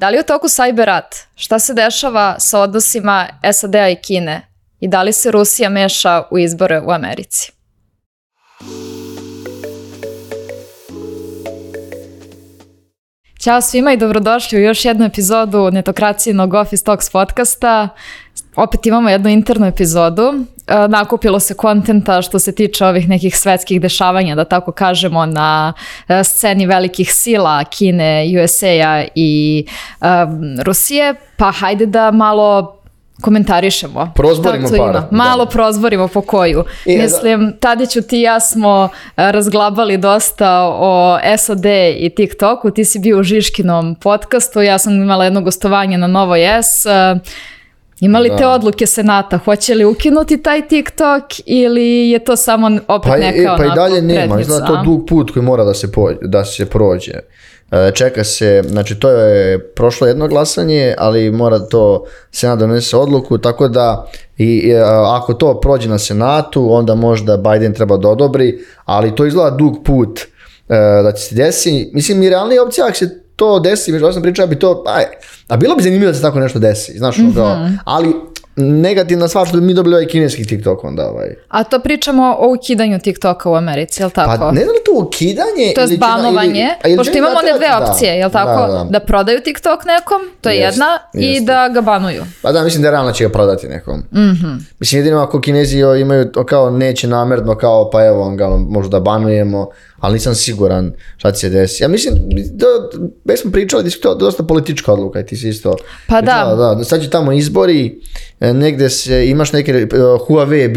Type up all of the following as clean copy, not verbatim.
Da li je u toku cyber rat? Šta se dešava sa odnosima SAD-a i Kine? I da li se Rusija meša u izbore u Americi? Ćao svima i dobrodošli u još jednu epizodu Netokracijinog Office Talks podcasta. Opet imamo jednu internu epizodu. Nakupilo se kontenta što se tiče ovih nekih svetskih dešavanja, da tako kažemo, na sceni velikih sila Kine, USA-a i Rusije. Pa hajde da malo komentarišemo. Prozborimo par. Malo prozborimo po koju. Mislim, Tadiću, ti i ja smo razglabali dosta o SAD i TikToku. Ti si bio u Žiškinom podcastu, ja sam imala jedno gostovanje na Novoj S. Ima li te odluke Senata? Hoće li ukinuti taj TikTok ili je to samo opet neka onako prednica? Pa i dalje nema. Izgleda to dug put koji mora da se prođe. Čeka se, znači to je prošlo jedno glasanje, ali mora to Senat donese odluku, tako da ako to prođe na Senatu, onda možda Biden treba da odobri, ali to izgleda dug put da će se desi. Mislim, i realnija opcija, ako se to desi, već sam pričao, bi to, a bilo bi zanimljivo da se tako nešto desi, znaš, ali negativna stvar što mi dobili ovaj kineski TikTok onda. A to pričamo o ukidanju TikToka u Americi, je li tako? Pa ne znam li to ukidanje? To je banovanje, pošto imamo one dve opcije, je li tako? Da prodaju TikTok nekom, to je jedna, i da ga banuju. Pa da, mislim da realno će ga prodati nekom. Mislim, jedino ako Kinezi imaju kao neće namerno, kao pa evo, možda da banujemo, ali nisam siguran šta će se desiti. Ja mislim, već smo pričali da je to dosta politička odluka i ti si isto. Pa da. Sad će tamo izbori, negde imaš neke, Huawei je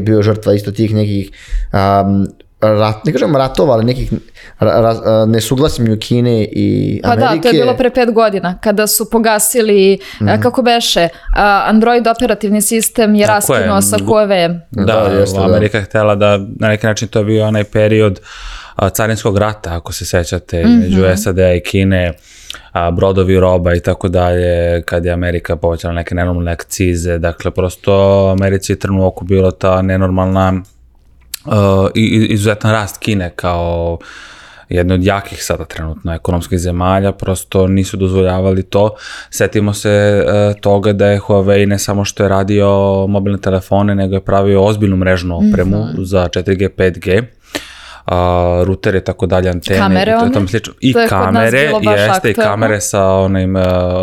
bio žrtva isto tih nekih, ne kažem ratova, ali nekih nesuglasnju Kine i Amerike. Pa da, to je bilo pre 5 godina, kada su pogasili, kako beše, Android operativni sistem je raskinuo sa Huawei. Amerika je htjela da na neki način to je bio onaj period carinskog rata, ako se sećate, među SAD-a i Kine, brodovi, roba i tako dalje, kad je Amerika povećala neke nenormalne akcize, dakle prosto Americi je trnu oko bilo ta nenormalna izuzetan rast Kine kao jedne od jakih sada trenutno ekonomskih zemalja, prosto nisu dozvoljavali to. Setimo se toga da je Huawei ne samo što je radio mobilne telefone, nego je pravio ozbiljnu mrežnu opremu za 4G, 5G, rutere i tako dalje, antene. Kamere i kamere, jeste i kamere sa onim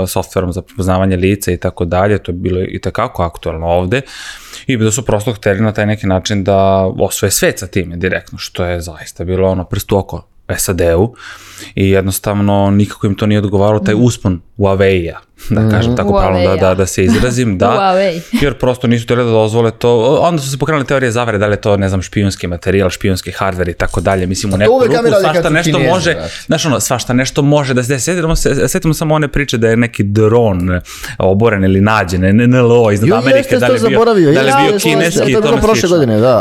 softverom za prepoznavanje lica i tako dalje, to je bilo i takako aktualno ovde. I da su prosto hteli na taj neki način da osvoje svet sa time direktno, što je zaista bilo prst u oko SAD-u i jednostavno nikako im to nije odgovaralo, taj uspon Huawei-a, da kažem tako pravilno da se izrazim, da, jer prosto nisu htjeli da dozvole to, onda su se pokrenule teorije zavere, da li je to, ne znam, špijunski materijal, špijunski hardware i tako dalje, mislim u neku ruku svašta nešto može, znaš svašta nešto može da se desi, sjetimo samo one priče da je neki dron oboren ili nađen, NLO iznad Amerike, da li je bio kineski,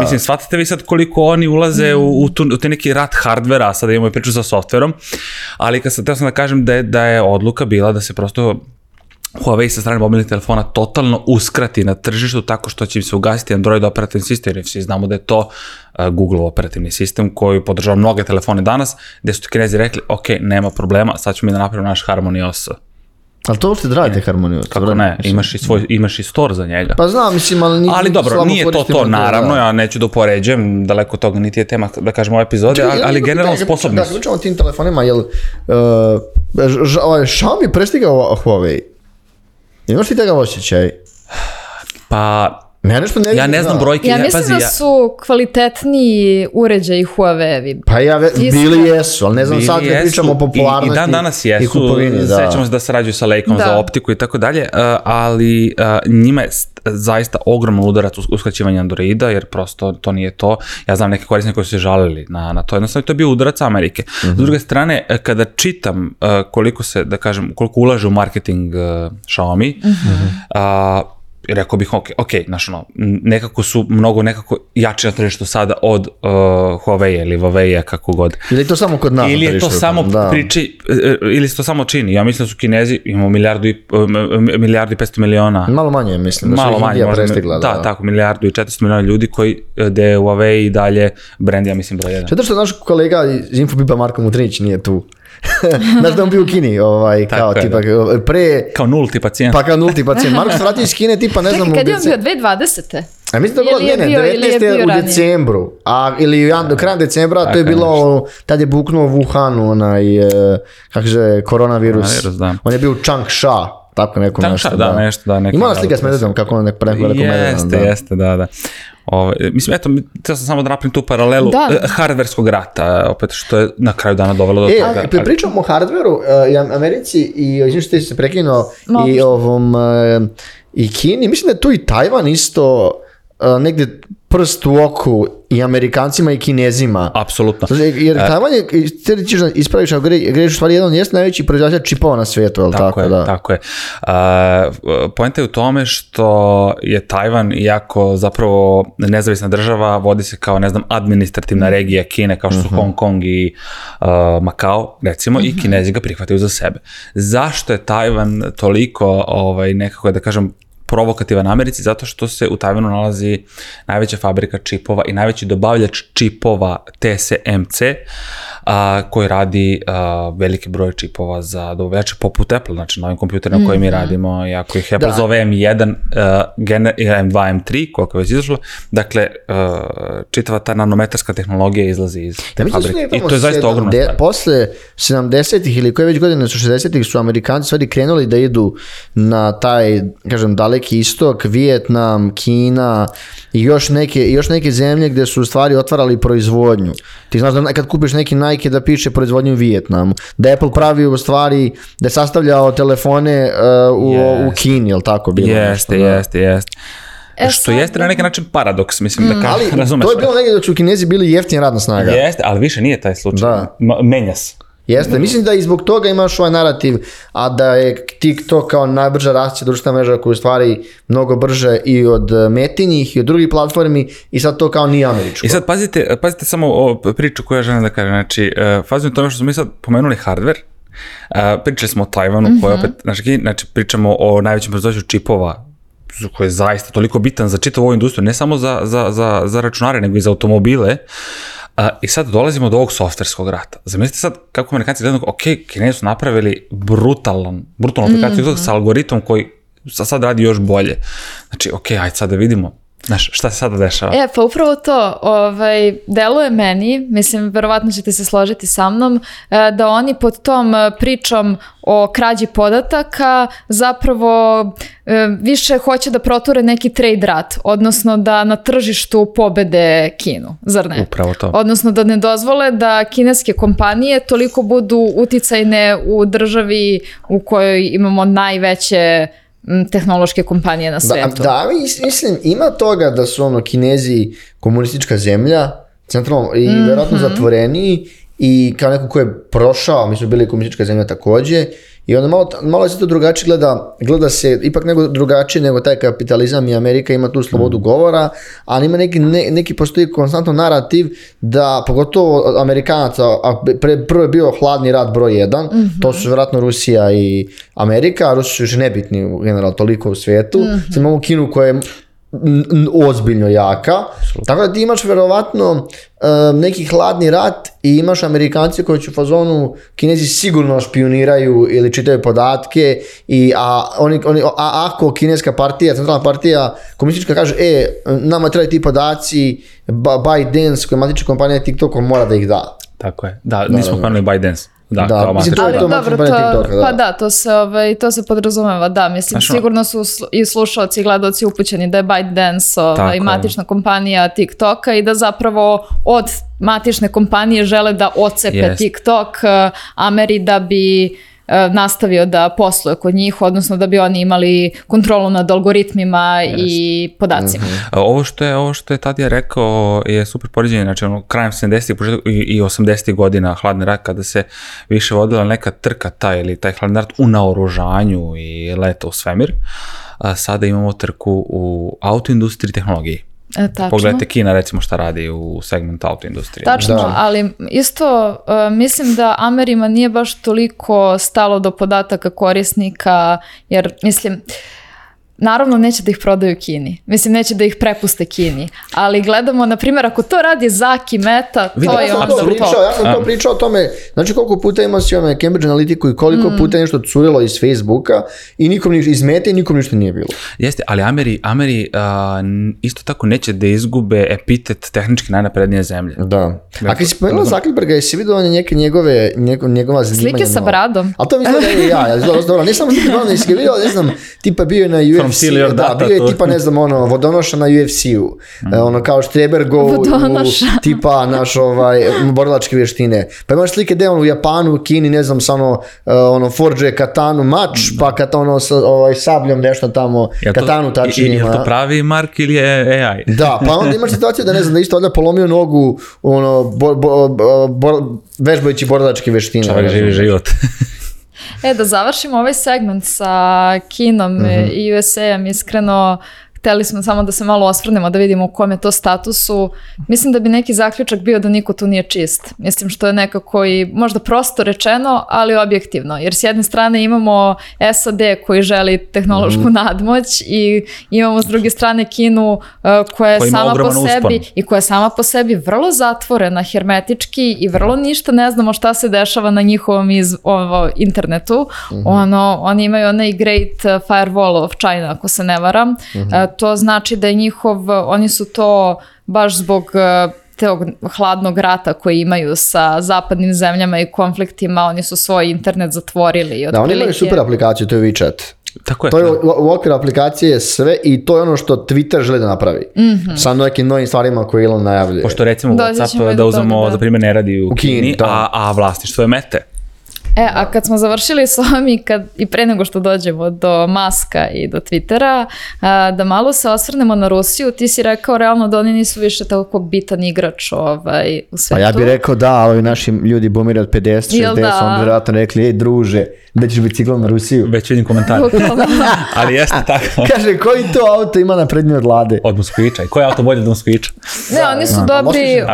mislim, shvatite vi sad koliko oni ulaze u te neki rat hardvera, sada imamo i priču sa softverom, ali kad sam da kažem da je odluka bila da se prosto Huawei sa strane mobilnih telefona totalno uskrati na tržištu tako što će im se ugasiti Android operativni sistem, jer svi znamo da je to Google operativni sistem koji podržava mnoge telefone danas, gde su Kinezi rekli, ok, nema problema, sad ćemo mi da napravimo naš Harmony OS. Ali to uopšte radite Harmony OS? Kako ne, imaš i store za njega. Pa znam, mislim, ali dobro, nije to naravno, ja neću da upoređujem, daleko od toga niti je tema, da kažem, ove epizode, ali generalno sposobni su. Da, pričamo o tim telefonima, jel Xiaomi prestigao Huawei? Imaš li tega osjećaj? Pa, ja ne znam brojke. Ja mislim da su kvalitetniji uređaji Huawei. Pa bili jesu, ali ne znam sad ne pričamo o popularnosti. I dan danas jesu, sećamo se da sarađuju sa Leikom za optiku i tako dalje, ali njima je zaista ogroman udarac uskraćivanja Androida, jer prosto to nije to. Ja znam neke korisnike koji su se žalili na to, jednostavno to je bio udarac Amerike. S druge strane, kada čitam koliko se, da kažem, koliko ulaže u marketing Xiaomi, rekao bih, ok, znaš nekako su mnogo jači na tržištu sada od Huawei ili Huawei-a, kako god. Ili je to samo kod nas? Ili je to samo ili se to samo čini. Ja mislim da su Kinezi, imamo milijardu i 500 miliona. Malo manje, mislim, da su Indija prestigla. Da, tako, milijardu i 400 miliona ljudi gde je Huawei i dalje brand, ja mislim, broj 1. Zato što naš kolega iz Infobipa Marko Mutrinić nije tu. Znaš da on bio u Kini, kao tipa, kao nulti pacijent. Pa kao nulti pacijent. Marko se vratio iz Kine, tipa, ne znam... Čekaj, kad je on bio 2020. A mislim da je bilo, 19. u decembru, ili krajem decembra, to je bilo, tad je buknuo u Wuhanu, kako se koronavirus. On je bio u Changsha, tako neko nešto. Da, nešto, da. Imala slika s medvedom, kako on neko veliko medvedom. Jeste, da. Mislim, eto, treba sam samo da napravim tu paralelu hardverskog rata, opet što je na kraju dana dovelo do toga. Pričamo o hardveru i Americi i izvim što ti se prekinuo i Kini, mislim da je tu i Tajvan isto negdje prst u oku i Amerikancima i Kinezima. Apsolutno. Jer Tajvan je, ti ćeš da ispraviš, ako greš u stvari jedan jest najveći proizvođač čipova na svijetu, ali tako? Tako je. Poenta je u tome što je Tajvan, iako zapravo nezavisna država, vodi se kao, ne znam, administrativna regija Kine, kao što su Hong Kong i Makao, recimo, i Kinezi ga prihvataju za sebe. Zašto je Tajvan toliko, nekako da kažem, provokativan Americi? Zato što se u Tajvanu nalazi najveća fabrika čipova i najveći dobavljač čipova TSMC, koji radi veliki broj čipova za dobavljače poput Apple, znači na ovim kompjuterima koje mi radimo, i ako ih Apple zove M1, M2, M3, koliko je već izašlo, dakle, čitava ta nanometarska tehnologija izlazi iz te fabrike. I to je zaista ogromna stvar. Posle 70-ih ili koje već godine su 60-ih su Amerikanci stvari krenuli da idu na taj, kažem, daleki istok, Vijetnam, Kina i još neke zemlje gde su u stvari otvarali proizvodnju. Ti znaš da kad kupiš neki Nike da piše proizvodnju u Vijetnamu, da Apple pravi u stvari, da je sastavljao telefone u Kini, jel tako bilo? Jeste. Što jeste na neki način paradoks, mislim da razumeš. To je bilo negdje dok su Kinezi bili jeftina radna snaga. Jeste, ali više nije taj slučaj. Menja se. Jeste, mislim da i zbog toga imaš ovaj narativ, a da je TikTok kao najbrža rastuća društvena mreža koja je u stvari mnogo brže i od Metinjih i od drugih platformi i sad to kao nije američko. I sad pazite samo o priču koju ja želim da kažem, znači fazim tome što smo mi sad pomenuli hardware, pričali smo o Tajvanu koja opet, znači pričamo o najvećem proizvođaču čipova koji je zaista toliko bitan za čitavu ovu industriju, ne samo za računare nego i za automobile. I sad dolazimo do ovog softverskog rata. Zamislite sad kako Amerikanci gledaju, Kinezi su napravili brutalnu aplikaciju sa algoritmom koji sad radi još bolje. Znači, ajde sad da vidimo. Znaš, šta se sada dešava? Pa upravo to, deluje meni, mislim, verovatno ćete se složiti sa mnom, da oni pod tom pričom o krađi podataka zapravo više hoće da proture neki trade rat, odnosno da na tržištu pobede Kinu, zar ne? Upravo to. Odnosno da ne dozvole da kineske kompanije toliko budu uticajne u državi u kojoj imamo najveće tehnološke kompanije na svetu. Da, mislim, ima toga da su Kinezi komunistička zemlja, centralno i vjerojatno zatvoreniji i kao neko ko je prošao, mi smo bili komunistička zemlja takođe, i onda malo se to drugačije gleda se ipak drugačije nego taj kapitalizam i Amerika ima tu slobodu govora, ali ima neki postoji konstantno narativ da, pogotovo Amerikanaca, a prvo je bio hladni rat broj 1, to su vjerojatno Rusija i Amerika, a Rusi su još nebitni generalno toliko u svijetu, sad imamo Kinu koja je ozbiljno jaka, tako da ti imaš verovatno neki hladni rat i imaš Amerikanci koji će u fazonu Kinezi sigurno špioniraju ili čitaju podatke a ako kineska partija, centralna partija komunistička kaže nama trebaju ti podaci, ByteDance koja je matična kompanija TikTokom mora da ih da. Tako je, nismo spomenuli ByteDance. Mislim, to se podrazumeva, da, mislim, sigurno su i slušalci i gledalci upućeni da je ByteDance matična kompanija TikToka i da zapravo od matične kompanije žele da ocepe TikTok Ameri da bi nastavio da posluje kod njih, odnosno da bi oni imali kontrolu nad algoritmima i podacima. Ovo što je Tadija rekao je super poređenje, znači krajem 70-ih i 80-ih godina hladni rat, kada se više vodila neka trka taj hladni rat u naoružanju i leta u svemir, sada imamo trku u autoindustriji i tehnologiji. Pogledajte Kina recimo šta radi u segmentu autoindustrije. Tačno, ali isto mislim da Amerima nije baš toliko stalo do podataka korisnika, jer mislim naravno neće da ih prodaju Kini. Mislim, neće da ih prepuste Kini. Ali gledamo, na primjer, ako to radi Zaki, Meta, to je onda to. Ja sam to pričao o tome, znači koliko puta ima si Cambridge Analytiku i koliko puta je nešto curilo iz Facebooka i nikom iz Mete i nikom ništa nije bilo. Jeste, ali Ameri isto tako neće da izgube epitet tehnički najnaprednije zemlje. Da. A kad si pomenula Zuckerberga, jesi vidio njegova zanimanja? Slike sa bradom. Ali to mislim da je ja. Ne samo slike bradom, jesi ga vidio, ne znam, tipa bio je na UFC, bio je tipa, ne znam, vodonoša na UFC-u, kao Štrebergov, tipa naš borilačke vještine. Pa imaš slike gde u Japanu, u Kini, ne znam, samo forđe katanu mač, pa sabljom nešto tamo, katanu tačnije. Je to pravi Mark ili je AI? Da, pa onda imaš situaciju da ne znam, da isto ovdje polomio nogu, vežbajući borilačke vještine. Čovjek živi život. Da završimo ovaj segment sa Kinom i USA-em, iskreno, hteli smo samo da se malo osvrnemo, da vidimo u kom je to statusu. Mislim da bi neki zaključak bio da niko tu nije čist. Mislim što je nekako i možda prosto rečeno, ali objektivno. Jer s jedne strane imamo SAD koji želi tehnološku nadmoć i imamo s druge strane Kinu koja je sama po sebi i koja je sama po sebi vrlo zatvorena hermetički i vrlo ništa ne znamo šta se dešava na njihovom internetu. Oni imaju onaj Great Firewall of China, ako se ne varam. To znači da je oni su to baš zbog tog hladnog rata koji imaju sa zapadnim zemljama i konfliktima, oni su svoj internet zatvorili. Da, oni imaju super aplikaciju, to je WeChat. Tako je. To je u okviru aplikacije sve i to je ono što Twitter želi da napravi. Sa nekim novim stvarima koje Elon najavljuje. Pošto recimo WhatsApp da uzmemo, za primjer, ne radi u Kini, a vlasništvo je Mete. A kad smo završili s ovim i pre nego što dođemo do Muska i do Twittera, da malo se osvrnemo na Rusiju, ti si rekao realno da oni nisu više tako bitan igrač u svetu. Pa ja bih rekao da, ovi naši ljudi boomeri od 50, 60, oni bi vjerojatno rekli, druže, da ćeš biciklom na Rusiju. Već vidim komentar. Ali jeste tako. Kaže, koji to auto ima naprednije od Lade? Od Moskvića. I koji auto bolje od Moskvića? Ne,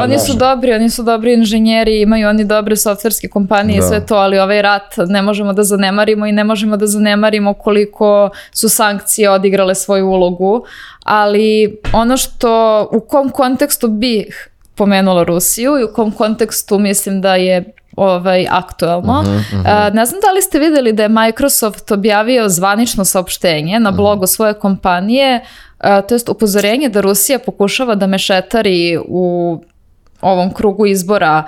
oni su dobri inženjeri, imaju oni dobre softverske kompanije i sve to, ali ovaj rat ne možemo da zanemarimo i ne možemo da zanemarimo koliko su sankcije odigrale svoju ulogu, ali ono što, u kom kontekstu bih pomenula Rusiju i u kom kontekstu mislim da je aktuelno. Ne znam da li ste vidjeli da je Microsoft objavio zvanično saopštenje na blogu svoje kompanije, to jest upozorenje da Rusija pokušava da mešetari u ovom krugu izbora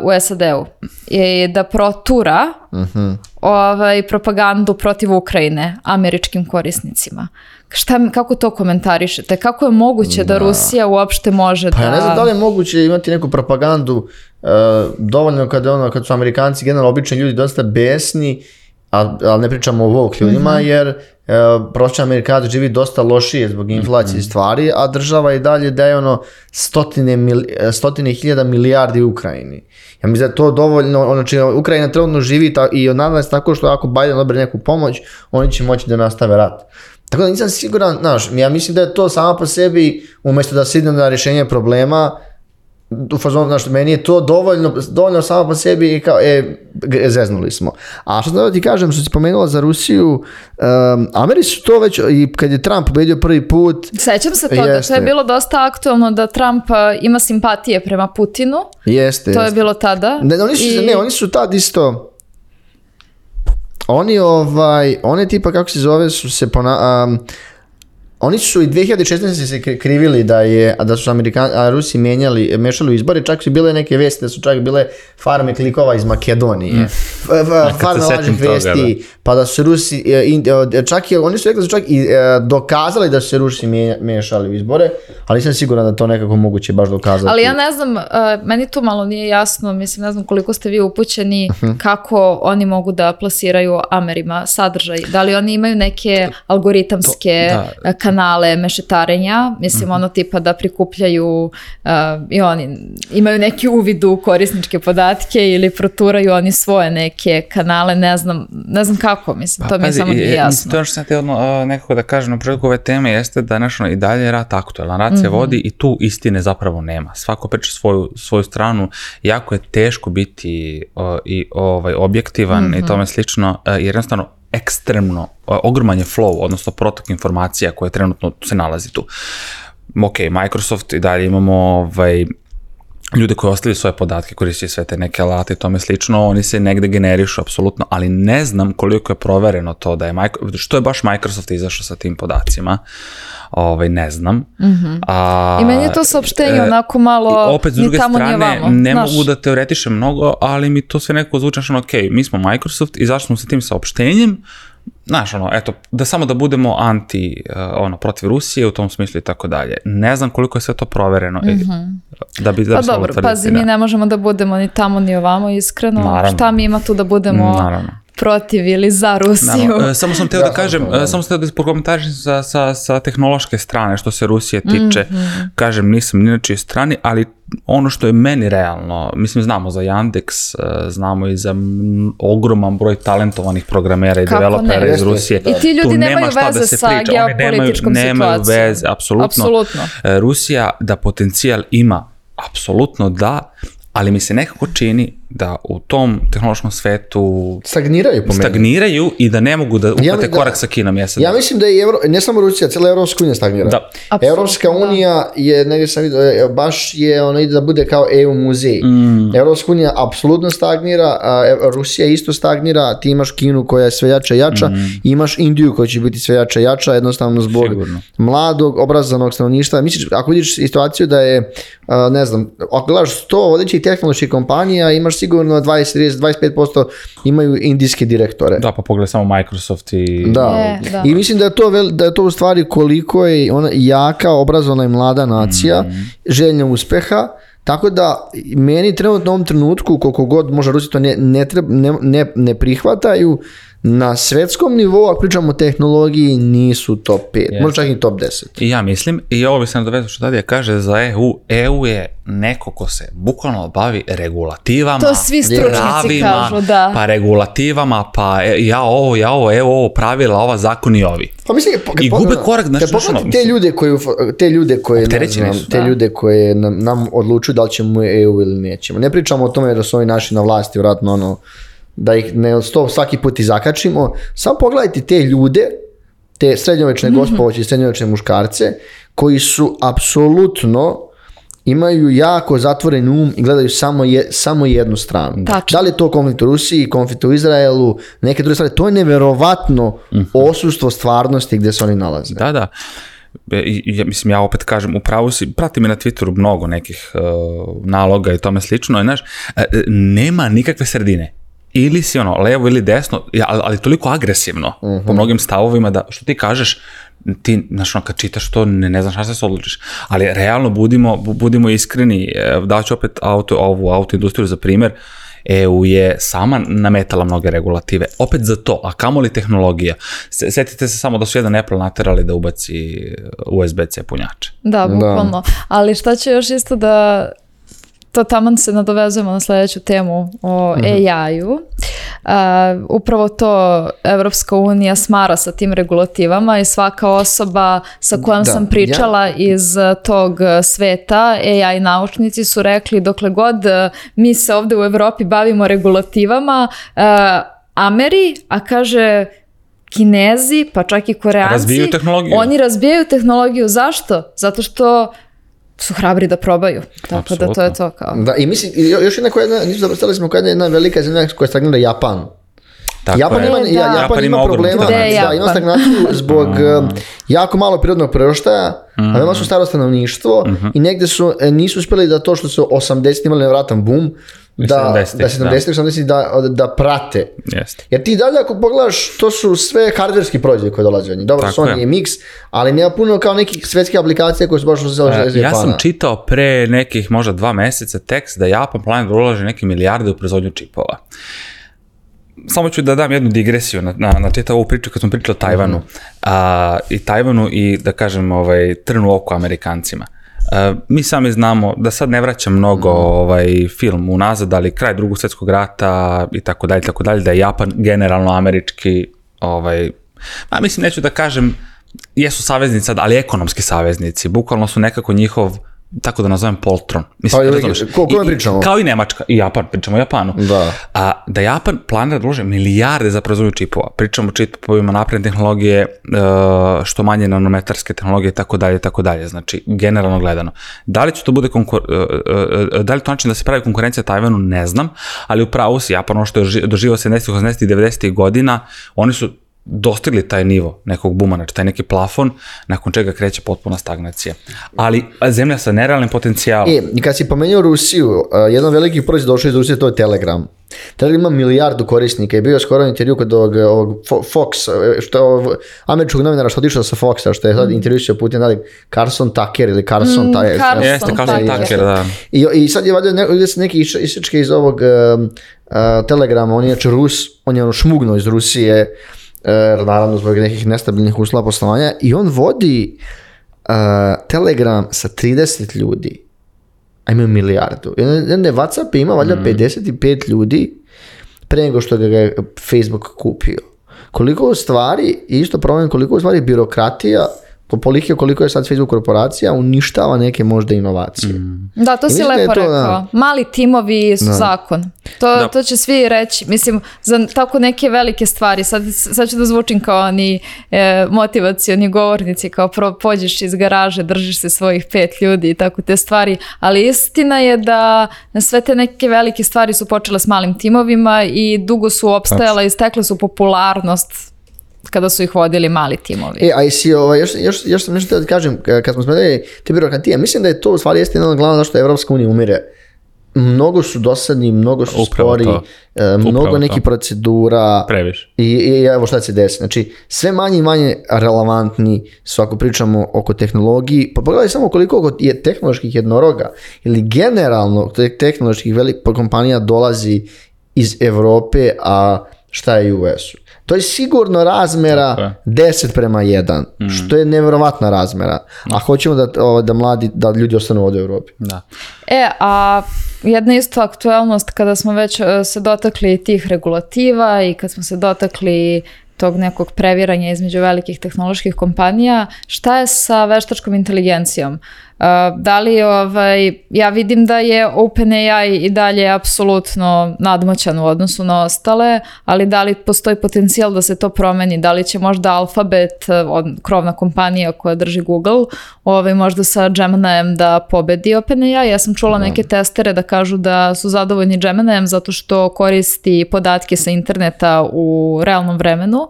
u SAD-u i da protura propagandu protiv Ukrajine američkim korisnicima. Kako to komentarišete? Kako je moguće da Rusija uopšte može da... Pa ja ne znam da li je moguće imati neku propagandu dovoljno kad su Amerikanci generalno obični ljudi dosta besni, ali ne pričamo o woke ljudima, jer prosječan Amerikanac živi dosta lošije zbog inflacije stvari, a država i dalje daje stotine hiljada milijardi Ukrajini. Ja mislim da je to dovoljno, znači Ukrajina trenutno živi i nadam se tako što ako Biden dobere neku pomoć, oni će moći da nastave rat. Tako da nisam siguran, ja mislim da je to sama po sebi, umjesto da se ide na rješenje problema, u fazonu, meni je to dovoljno samo po sebi i kao, zeznuli smo. A što da ti kažem, što si pomenula za Rusiju, Ameri su to već, i kad je Trump pobedio prvi put... Sećam se toga, to je bilo dosta aktualno da Trump ima simpatije prema Putinu. Jeste. To je bilo tada. Oni su tad isto... Oni tipa, kako se zove, su se oni su i 2016. se krivili da su Rusi mešali u izbore, čak su bile neke vesti da su čak bile farme klikova iz Makedonije, farme lažnih vesti, pa da su Rusi, oni su rekli da su čak i dokazali da su se Rusi mešali u izbore, ali nisam siguran da to nekako moguće baš dokazati. Ali ja ne znam, meni to malo nije jasno, mislim, ne znam koliko ste vi upućeni kako oni mogu da plasiraju Amerima sadržaj, da li oni imaju neke algoritamske kanale mešetarenja, mislim ono tipa da prikupljaju i oni imaju neki uvid u korisničke podatke ili proturaju oni svoje neke kanale, ne znam kako, mislim, to mi je samo nije jasno. To što sam te nekako da kažem na početku ove teme jeste da i dalje je rat aktualan, rat se vodi i tu istine zapravo nema. Svako priča svoju stranu, jako je teško biti i objektivan i tome slično, jer jednostavno ekstremno, ogroman je flow, odnosno protok informacija koje trenutno se nalazi tu. Ok, Microsoft i dalje imamo ljude koji ostavljaju svoje podatke, koristaju sve te neke alate i tome slično, oni se negde generišu apsolutno, ali ne znam koliko je provereno to da je što je baš Microsoft izašao sa tim podacima, ne znam. I meni je to saopštenje onako malo opet, s druge strane, ne mogu da teoretišem mnogo, ali mi to sve nekako zvuči, ok, mi smo Microsoft, izašli smo sa tim saopštenjem, znaš, eto, samo da budemo protiv Rusije u tom smislu i tako dalje. Ne znam koliko je sve to provereno. Da bi pa dobro, pazi, mi ne možemo da budemo ni tamo ni ovamo, iskreno. Naravno. Šta mi ima tu da budemo protiv ili za Rusiju? Samo sam teo da kažem, samo sam teo da prokomentarišem sa tehnološke strane, što se Rusije tiče. Kažem, nisam ni na čijoj strani, ali ono što je meni realno, mislim, znamo za Yandex, znamo i za ogroman broj talentovanih programera i developera iz Rusije. I ti ljudi nemaju veze sa geopolitičkom situacijom. Nemaju veze, apsolutno. Rusija da potencijal ima, apsolutno da, ali mi se nekako čini da u tom tehnološkom svetu stagniraju i da ne mogu da upate korak sa Kinom. Ja mislim da je ne samo Rusija, cijela Evropska unija stagnira. Evropska unija je, negdje sam vidio, baš je ona ide da bude kao EU muzej. Evropska unija apsolutno stagnira, Rusija isto stagnira, ti imaš Kinu koja je sve jača i jača, imaš Indiju koja će biti sve jača i jača, jednostavno zbog mladog, obrazanog stanovništva. Misliš, ako vidiš situaciju da je, ne znam, ako gledaš 100 vodećih tehnoloških kompanija, imaš sigurno 20, 30, 25% imaju indijske direktore. Da, pa pogledaj samo Microsoft i... Da. I mislim da je to u stvari koliko je ona jaka, obrazovana i mlada nacija, željna uspeha, tako da meni trenutno u ovom trenutku, koliko god možda Rusi to ne prihvataju, na svetskom nivou, ako pričamo o tehnologiji, nisu top 5, možda čak i top 10. I ja mislim, i ovo bi se nadovezao što Dadija kaže za EU. EU je neko ko se bukvalno bavi regulativama, to svi stručnjaci kažu, da. Pa regulativama, pa evo pravila, ova zakon i ovi. Pa mislim, i gube korak, te ljude koje nam odlučuju da li ćemo EU ili nećemo. Ne pričamo o tome da su oni naši na vlasti, vratno da ih ne svaki put i zakačimo. Samo pogledajte te ljude, te srednjovečne gospođe i srednjovečne muškarce, koji su apsolutno imaju jako zatvoren um i gledaju samo jednu stranu. Tačno. Da li je to konflikt u Rusiji, konflikt u Izraelu, neke druge stvari, to je neverovatno osustvo stvarnosti gdje se oni nalaze. Da. Mislim, ja opet kažem, upravo si, prati me na Twitteru mnogo nekih naloga i tome slično, znaš, nema nikakve sredine. Ili si levo ili desno, ali toliko agresivno po mnogim stavovima da što ti kažeš, ti, znaš, kad čitaš to, ne znaš šta se odlučiš. Ali realno budimo iskreni, daću opet ovu autoindustriju za primjer, EU je sama nametala mnoge regulative, opet za to, a kamoli tehnologija. Sjetite se samo da su jedan Apple naterali da ubaci USB-C punjače. Da, bukvalno. Ali šta će još isto da... To taman se nadovezujemo na sljedeću temu o AI-u. Upravo to Evropska unija smara sa tim regulativama i svaka osoba sa kojom sam pričala iz tog sveta, AI naučnici su rekli dokle god mi se ovdje u Evropi bavimo regulativama, a kaže Kinezi, pa čak i Koreanci, oni razbijaju tehnologiju. Zašto? Zato što su hrabri da probaju. Tako da to je to kao. Da, i mislim, još jedna velika zemlja koja stagnira Japan. Japan ima problema, ima stagnaciju zbog jako malo prirodnog priraštaja, a veoma su staro stanovništvo i negde nisu uspjeli da to što su 80 imali nevratan boom, da prate. Jer ti dalje ako pogledaš, to su sve hardverski proizvodi koji dolaze od njih. Dobro, Sony je mix, ali nema puno kao nekih svetskih aplikacija koje su baš iz Japana. Ja sam čitao pre nekih možda 2 meseca tekst da Japan planira da ulaže neke milijarde u proizvodnju čipova. Samo ću da dam jednu digresiju na ovu priču kad smo pričali o Tajvanu. I Tajvanu i da kažem trnu oko Amerikancima. Mi sami znamo da sad ne vraćam mnogo film unazad, ali kraj Drugog svjetskog rata i tako dalje, da je Japan generalno američki, mislim, neću da kažem jesu saveznici sad, ali ekonomski saveznici, bukvalno su nekako njihov tako da nazovem poltron. Ko pričamo? Kao i Nemačka, i Japan, pričamo o Japanu. Da Japan planira da uloži milijarde za proizvodnju čipova. Pričamo o čipovima napredne tehnologije, što manje nanometarske tehnologije, tako dalje. Znači, generalno gledano. Da li će to bude da li to način da se pravi konkurencija Tajvanu, ne znam, ali upravo si Japan, ono što je doživao 70. 80. i 90. godina, oni su dostigli taj nivo nekog buma, znači taj neki plafon, nakon čega kreće potpuna stagnacija. Ali zemlja sa nerealnim potencijalom. I kad si pomenuo Rusiju, jedan veliki proizvod došao iz Rusije, to je Telegram. Telegram ima milijardu korisnika i bio je skoro intervju kod ovog Fox, američkog novinara što otišao sa Foxa, što je sad intervjušio Putin, Carson Tucker ili Carson Tucker. Jeste, Carson Tucker, da. I sad je valjda neki isečke iz ovog Telegrama, on je Rus, on je šmugnuo iz Rusije, naravno zbog nekih nestabilnih uslova poslovanja, i on vodi Telegram sa 30 ljudi, a imaju milijardu. WhatsApp ima valjda 55 ljudi pre nego što ga je Facebook kupio. Koliko stvari, isto problem, koliko stvari birokratija, koliko je sad Facebook korporacija, uništava neke možda inovacije. Da, to si lepo rekao. Mali timovi su zakon. To će svi reći. Mislim, za tako neke velike stvari, sad ću da zvučim kao oni motivacioni govornici, kao pođeš iz garaže, držiš se svojih 5 ljudi i tako te stvari, ali istina je da sve te neke velike stvari su počele s malim timovima i dugo su opstajale i stekle su popularnost kada su ih vodili mali timovi. A jesi, još sam nešto da kažem, kad smo spomenuli te birokratije, mislim da je to u stvari jeste jedna od glavna zašto Evropska unija umire. Mnogo su dosadni, mnogo su spori, mnogo nekih procedura. Previše. I evo šta se desi. Znači, sve manje i manje relevantni su ako pričamo oko tehnologiji. Pa pogledaj samo koliko je tehnoloških jednoroga ili generalno tehnoloških velikih kompanija dolazi iz Evrope, a šta je u US-u. To je sigurno razmera 10:1, što je nevjerovatna razmera. A hoćemo da ljudi ostanu ovdje u Evropi. Da. A jedna isto aktualnost kada smo već se dotakli tih regulativa i kad smo se dotakli tog nekog previranja između velikih tehnoloških kompanija, šta je sa veštačkom inteligencijom? Da li ja vidim da je OpenAI i dalje apsolutno nadmoćan u odnosu na ostale, ali da li postoji potencijal da se to promeni? Da li će možda Alphabet, krovna kompanija koja drži Google, možda sa Geminijem da pobedi OpenAI? Ja sam čula neke testere da kažu da su zadovoljni Geminijem zato što koristi podatke sa interneta u realnom vremenu,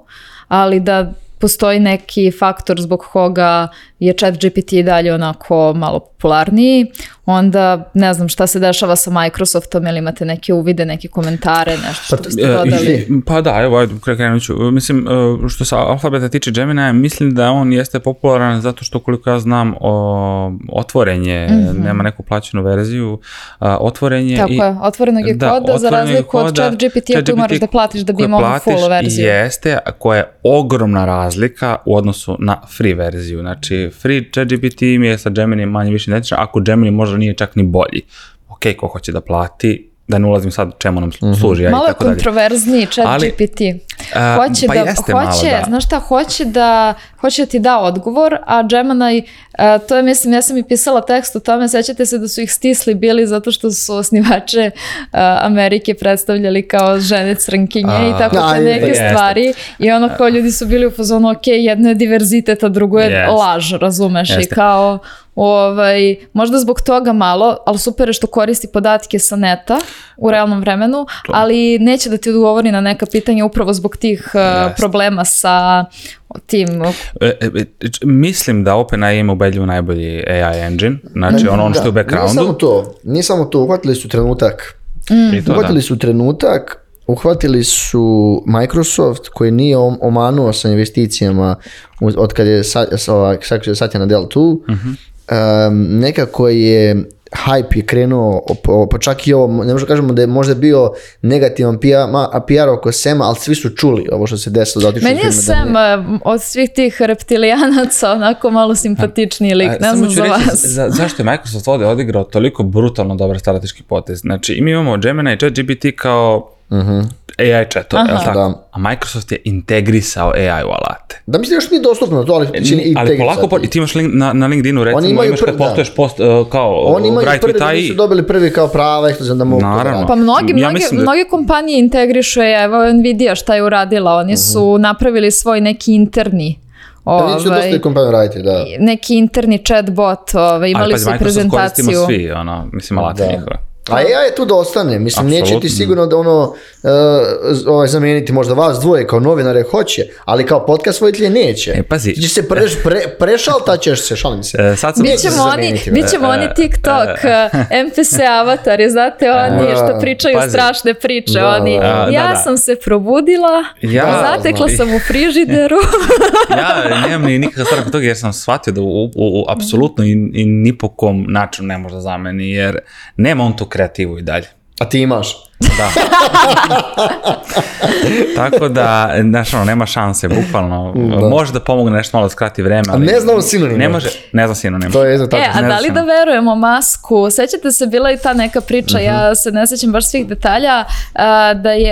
ali da postoji neki faktor zbog koga je ChatGPT dalje onako malo popularniji, onda ne znam šta se dešava sa Microsoftom, ili imate neke uvide, neke komentare, nešto što ste dodali? Pa da, evo, krenut ću. Mislim, što se Alphabeta tiče Gemini, mislim da on jeste popularan zato što, koliko ja znam, otvorenje, nema neku plaćenu verziju, otvorenje. Tako je, otvorenog je koda, za razliku od ChatGPT-a koji moraš da platiš da bi imao full verziju. Jeste, koja je ogromna razlika u odnosu na free verziju. Znači, free ChatGPT mi je sa Gemini manje više identičan, ako Gemini možda nije čak ni bolji. Ok, ko hoće da plati, da ne ulazim sad čemu nam služi. Malo je kontroverzniji ChatGPT. Znaš šta, hoće da ti da odgovor, a Gemini, to je, mislim, ja sam i pisala tekst o tome, sećate se da su ih stisli bili zato što su osnivače Amerike predstavljali kao žene crnkinje i tako te neke stvari. I ono kao ljudi su bili u fazonu, ok, jedno je diverzitet, a drugo je laž, razumeš? I kao, možda zbog toga malo, ali super je što koristi podatke sa neta u realnom vremenu, ali neće da ti odgovori na neka pitanja upravo zbog tih problema sa tim. Mislim da OpenAI ima ubedljivo najbolji AI engine, znači ono što je u backgroundu. Nije samo to, uhvatili su trenutak, uhvatili su Microsoft koji nije omanuo sa investicijama od kad je Satya Nadella tu, nekako je hype je krenuo, pa čak i ovo, ne možemo kažemo da je možda bio negativan PR oko Sema, ali svi su čuli ovo što se desilo. Meni je Sam od svih tih reptilijanaca onako malo simpatičniji lik, ne znam za vas. Zašto je Microsoft ovdje odigrao toliko brutalno dobar strateški potez? Znači, mi imamo Gemini i ChatGPT kao AI chatove, je li tako? Da. A Microsoft je integrisao AI u alate. Da, mislim da još nije dostupno to, ali polako, i ti imaš na LinkedInu, recimo, imaš kad postoješ post, kao oni imaju prvi, su dobili prvi kao prava, da mogu. Naravno. Pa mnoge kompanije integrišu AI, evo Nvidia šta je uradila, oni su napravili svoj neki interni neki interni chatbot, imali su prezentaciju. Koristimo svi, mislim, alate njihove. A AI je tu da ostane, mislim, neće ti sigurno da zamijeniti možda vas dvoje kao novinare hoće, ali kao podcast voditelje neće. Pazi. Ti će se prešaltaćeš se, šalim se. Bićemo oni TikTok, NPC avatari, znate, oni što pričaju strašne priče, ja sam se probudila, zatekla sam u frižideru. Ja nemam ni nikakav strah od toga jer sam shvatio da apsolutno i ni po kom načinu ne može da zameni, jer nema on tu kreativu i dalje. A ti imaš? Da. Tako da, znaš, nema šanse, bukvalno. Može da pomogne nešto malo da skrati vreme, ali... Ne znam sinonima. Ne znam sinonima. To je tako. A da li da verujemo Masku? Sećate se, bila i ta neka priča, ja se ne sećam baš svih detalja,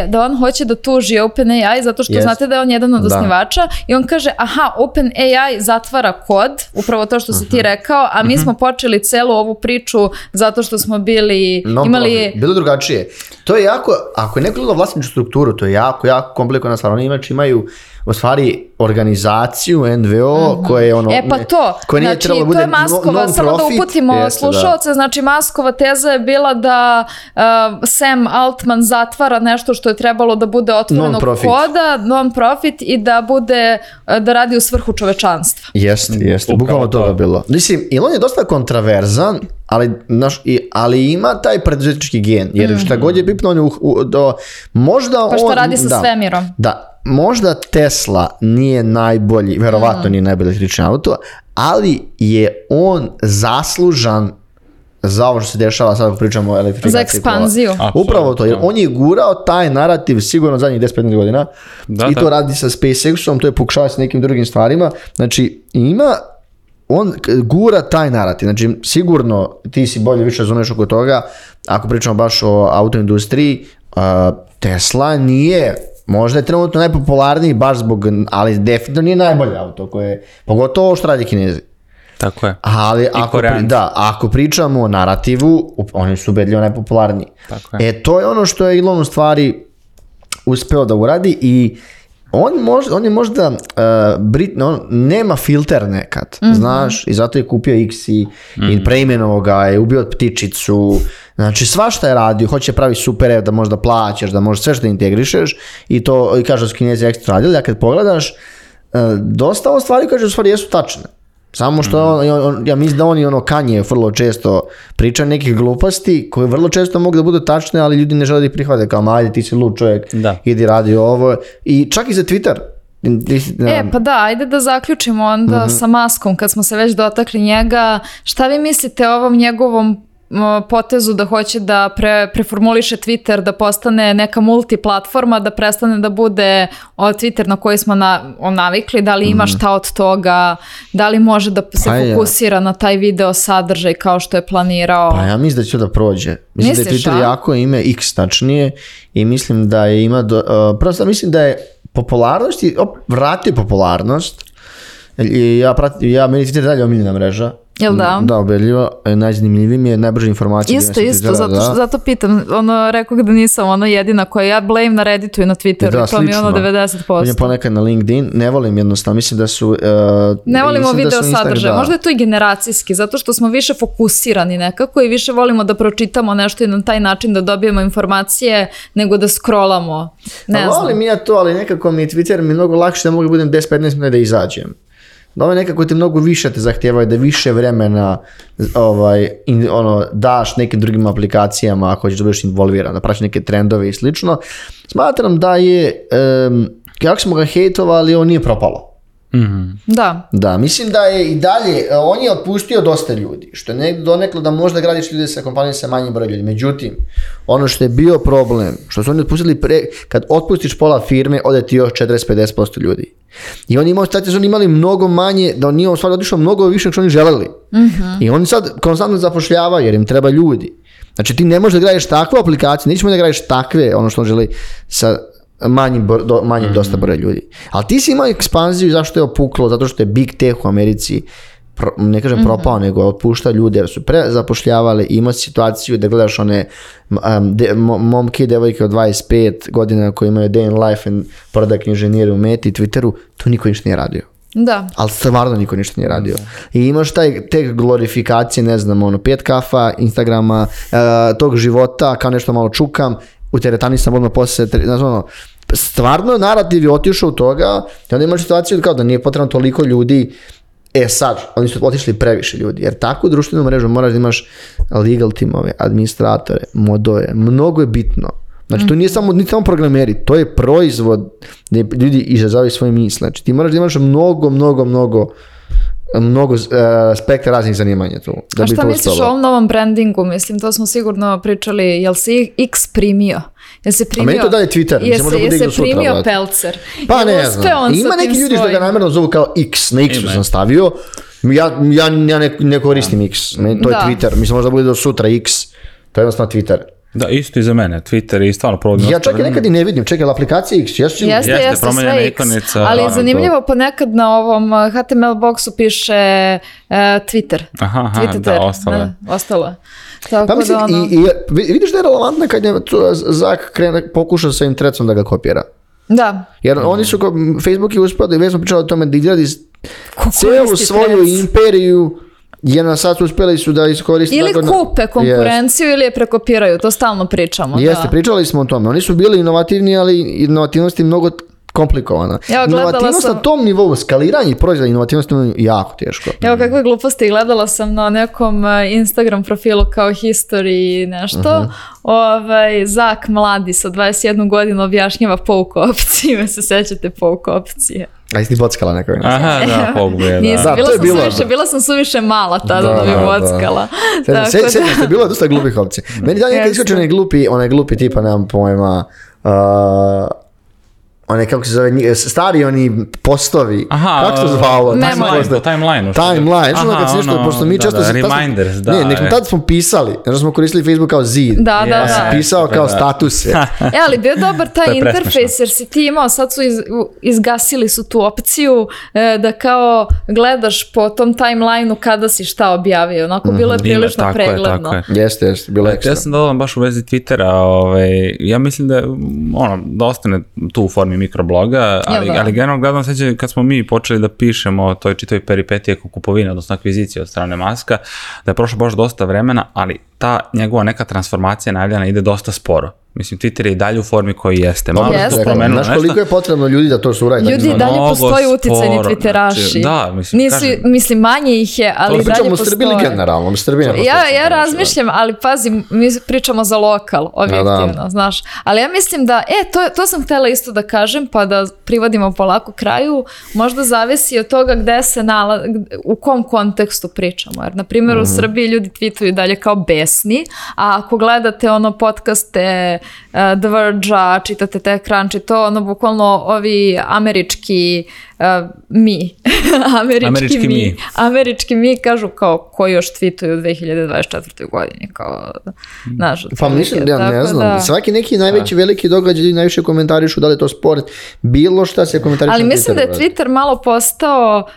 da on hoće da tuži OpenAI zato što znate da je on jedan od osnivača i on kaže, OpenAI zatvara kod, upravo to što si ti rekao, a mi smo počeli celu ovu priču zato što smo imali... Bilo drugačije. To je jako, ako je neko gleda vlasničku strukturu, to je jako komplikovana stvar. Oni imaju u stvari organizaciju, NVO, koje je koje nije trebalo da bude non-profit. To je Maskova, samo da uputimo slušalce, znači Maskova teza je bila da Sam Altman zatvara nešto što je trebalo da bude otvorenog koda, non-profit i da radi u svrhu čovečanstva. Jeste, bukvalno to je bilo. Mislim, Elon je dosta kontraverzan, ali ima taj preduzetnički gen, jer šta god je pipno možda pa što radi sa svemirom. Da. Možda Tesla nije najbolji, verovatno nije najbolji električni auto, ali je on zaslužan za ovo što se dešava, sad ako pričamo o elektrifikaciji. Za ekspanziju. Upravo to, jer on je gurao taj narativ sigurno zadnjih 10-15 godina i to radi sa SpaceX-om, to je pokušava sa nekim drugim stvarima. Znači, on gura taj narativ, znači sigurno ti si bolje više razumeš oko toga, ako pričamo baš o autoindustriji, Tesla nije... Možda je trenutno najpopularniji baš ali definitivno nije najbolje auto koje, pogotovo što radi Kinezi. Tako je. Ali ako pričamo o narativu, oni su ubedljivo najpopularniji. Tako je. To je ono što je Elon u stvari uspeo da uradi i on je možda nema filter nekad, znaš, i zato je kupio X i preimenovao ga, je ubio ptičicu, znači svašta je radio, hoće pravi super da možda plaćaš, da možeš sve što integrišeš i to, i kaže da su Kinezi ekstra radili, a kad pogledaš, dosta ovo stvari kaže u stvari jesu tačne. Samo što ja mislim da oni Kanye vrlo često priča nekih gluposti koje vrlo često mogu da budu tačne, ali ljudi ne žele da ih prihvate kao ajde ti si lud čovjek, idi radi ovo i čak i za Twitter. Pa da, ajde da zaključimo onda sa Muskom kad smo se već dotakli njega. Šta vi mislite o ovom njegovom potezu da hoće da preformuliše Twitter, da postane neka multiplatforma, da prestane da bude Twitter na koji smo navikli, da li ima šta od toga, da li može da se fokusira na taj video sadržaj kao što je planirao? Pa ja mislim da će da prođe. Mislim da je Twitter jako ime X tačnije i mislim da je prosto mislim da je popularnost i vratio popularnost. Meni Twitter dalje omiljena mreža. Jel da? Da, ubedljivo. Najzanimljiviji mi je najbrže informacije. Isto, zato pitam. Rekao da nisam jedina koja ja blame na Redditu i na Twitteru i to mi je 90%. On je ponekad na LinkedIn. Ne volim jednostavno. Mislim da su... Ne volimo video sadržaj. Možda je to i generacijski, zato što smo više fokusirani nekako i više volimo da pročitamo nešto i na taj način da dobijemo informacije nego da scrollamo. Ne znam. Volim ja to, ali nekako mi je Twitter mnogo lakše da mogu budem 10-15 minuta da izađem. Da ovo nekako te mnogo više te zahtijevaju da više vremena daš nekim drugim aplikacijama ako hoćeš da budeš involviran, da praćeš neke trendove i slično. Smatram da je, kako smo ga hejtovali, on nije propalo. Da, mislim da je i dalje, on je otpustio dosta ljudi, što je doneklo da možda gradiš ljude sa kompanijom sa manjim brojem ljudi. Međutim, ono što je bio problem, što su oni otpustili kad otpustiš pola firme, ode ti još 40-50% ljudi. I oni imali mnogo manje, da on nije u stvari otišao mnogo više što oni želeli. I oni sad konstantno zapošljavaju jer im treba ljudi. Znači ti ne možeš da gradiš takvu aplikaciju, nećemo da gradiš takve, ono što on želi sa manjim dosta broja ljudi. Ali ti si imao ekspanziju, zašto je opuklo, zato što je Big Tech u Americi, ne kažem propao, nego otpušta ljude jer su prezapošljavali i ima situaciju da gledaš one momke i devojke od 25 godina koji imaju day in life and product inženjeri u Meti i Twitteru, to niko ništa nije radio. Da. Ali stvarno niko ništa nije radio. I imaš te glorifikacije, ne znam, 5 kafa, Instagrama, tog života, kao nešto malo čukam, u teretani sam odmah posle, stvarno narativ je otišao u toga i onda imaš situaciju kao da nije potrebno toliko ljudi. Sad, oni su otišli previše ljudi, jer takvu društvenu mrežu moraš da imaš legal timove, administratore, modove, mnogo je bitno. Znači, to nije samo programeri, to je proizvod gdje ljudi izražavaju svoje misle. Znači, ti moraš da imaš mnogo spektra raznih zanimanja tu. Da a šta misliš o ovom novom brandingu? Mislim, to smo sigurno pričali, jel si X primio? A meni to dalje Twitter. Jel se primio Pelcer? Pa ne znam. Ima neki ljudi što ga namjerno zovu kao X. Na X-u sam stavio. Ja ne koristim X. To je Twitter. Mislim, možda bude do sutra X. To je jednostavno Twitter. Da, isto i za mene. Twitter je stvarno provodno. Ja čak i nekad i ne vidim. Čekaj, aplikacija X. Jeste sve X. Ali je zanimljivo, ponekad na ovom HTML boxu piše Twitter. Aha, da, ostalo. Pa mislim, i vidiš da je relevantno kad je Zak pokušao sa Intrecom da ga kopira. Da. Jer oni su, Facebook je uspio, i već smo pričali o tome, da izgradi cijelu svoju imperiju, jer sad su uspjeli su da iskoriste... Ili kupe konkurenciju ili je prekopiraju, to stalno pričamo. Jeste, pričali smo o tome. Oni su bili inovativni, ali inovativnost je mnogo komplikovana. Inovativnost na tom nivou, skaliranje proizvoda inovativnosti je jako teško. Evo kakve gluposti, gledala sam na nekom Instagram profilu kao history i nešto. Zak mladi sa 21 godinu objašnjava pouk opcije, se sećate pouk opcije. A jesi ti bockala neko? Aha, da, pouk je, da. Bila sam suviše mala tada da bi bockala. Sjećam se, bilo je dosta glupih opcija. Meni da nekad iskoče onaj glupi tipa, nemam pojma, kako se zove, stari oni postovi. Kako se zvalo? Timeline. Pošto mi često... Reminders, da. Ne, nekom tada smo pisali, jer smo koristili Facebook kao zid. Da. Pisao kao statuse. Ali bio dobar taj interfejs, jer si ti imao, sad su izgasili su tu opciju da kao gledaš po tom timelineu kada si šta objavio. Onako bilo je prilično pregledno. Jeste, bilo je ekstra. Ja sam dodala baš u vezi Twittera, ja mislim da ostane tu u formi mikrobloga, ali generalno gledam sveće kad smo mi počeli da pišemo o toj čitoj peripetiji oko kupovine, odnosno akvizicije od strane Maska, da je prošlo baš dosta vremena, ali ta njegova neka transformacija najavljena ide dosta sporo. Mislim, Twitter je i dalje u formi koji jeste. Znaš koliko je potrebno ljudi da to su uradi? Ljudi dalje postoji uticajni Twitteraši. Da, mislim, manje ih je, ali dalje postoji. Srbiji generalno, ja razmišljam, ali pazi, mi pričamo za lokal, objektivno, znaš. Ali ja mislim da, to sam htjela isto da kažem, pa da privodimo polako kraju, možda zavisi od toga gde se u kom kontekstu pričamo. Jer, na primjer, u Srbiji ljudi tweetuju dalje kao besni, a ako gledate podcaste The Verge-a, čitate TechCrunch, to bukvalno ovi američki američki mi kažu kao koji još tweetuju u 2024. godini. Pa mislim, ja ne znam. Svaki neki najveći veliki događaj, najviše komentarišu da li je to sport, bilo šta se komentarišu. Ali mislim da je Twitter malo postao,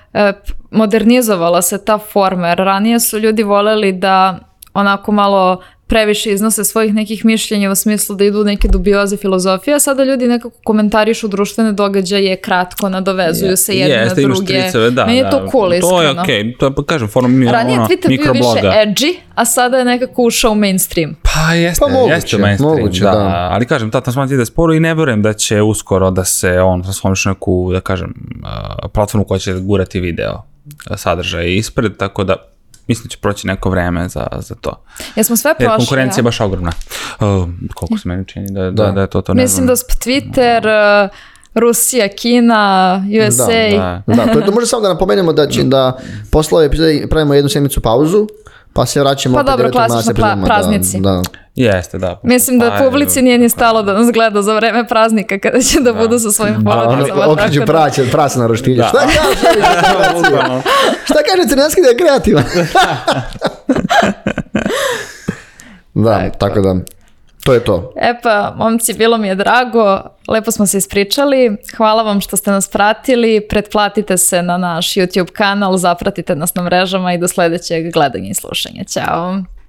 modernizovala se ta forma, jer ranije su ljudi voljeli da onako malo previše iznose svojih nekih mišljenja u smislu da idu neke dubioze filozofije, a sada ljudi nekako komentarišu društvene događaje, kratko nadovezuju se jedne na druge. Meni je to cool, iskreno. To je okej, to je, kažem, forma mikrobloga. Ranije Twitter bio više edgy, a sada je nekako ušao u mainstream. Pa jeste mainstream, da. Ali kažem, ta transformacija ide sporo i ne vjerujem da će uskoro da se on transformiše neku, da kažem, platformu koja će gurati video sadržaj ispred, tako da mislim da će proći neko vreme za to. Jesmo sve prošli. Jer konkurencija je baš ogromna. Koliko se meni čini da je to ne mislim da Twitter, Rusija, Kina, USA. Da, to može samo da napomenemo da posle ove epizode pravimo jednu sedmicu pauzu, pa se vraćamo opet 9. klasično praznici. Jeste, da. Mislim da publici nije ni stalo da nas gleda za vreme praznika kada će da budu sa svojim porodicama. Okreću prase na roštilju. Šta kaže Crnjanski da je kreativan? Da, tako da, to je to. Pa, momci, bilo mi je drago, lepo smo se ispričali, hvala vam što ste nas pratili, pretplatite se na naš YouTube kanal, zapratite nas na mrežama i do sledećeg gledanja i slušanja. Ćao!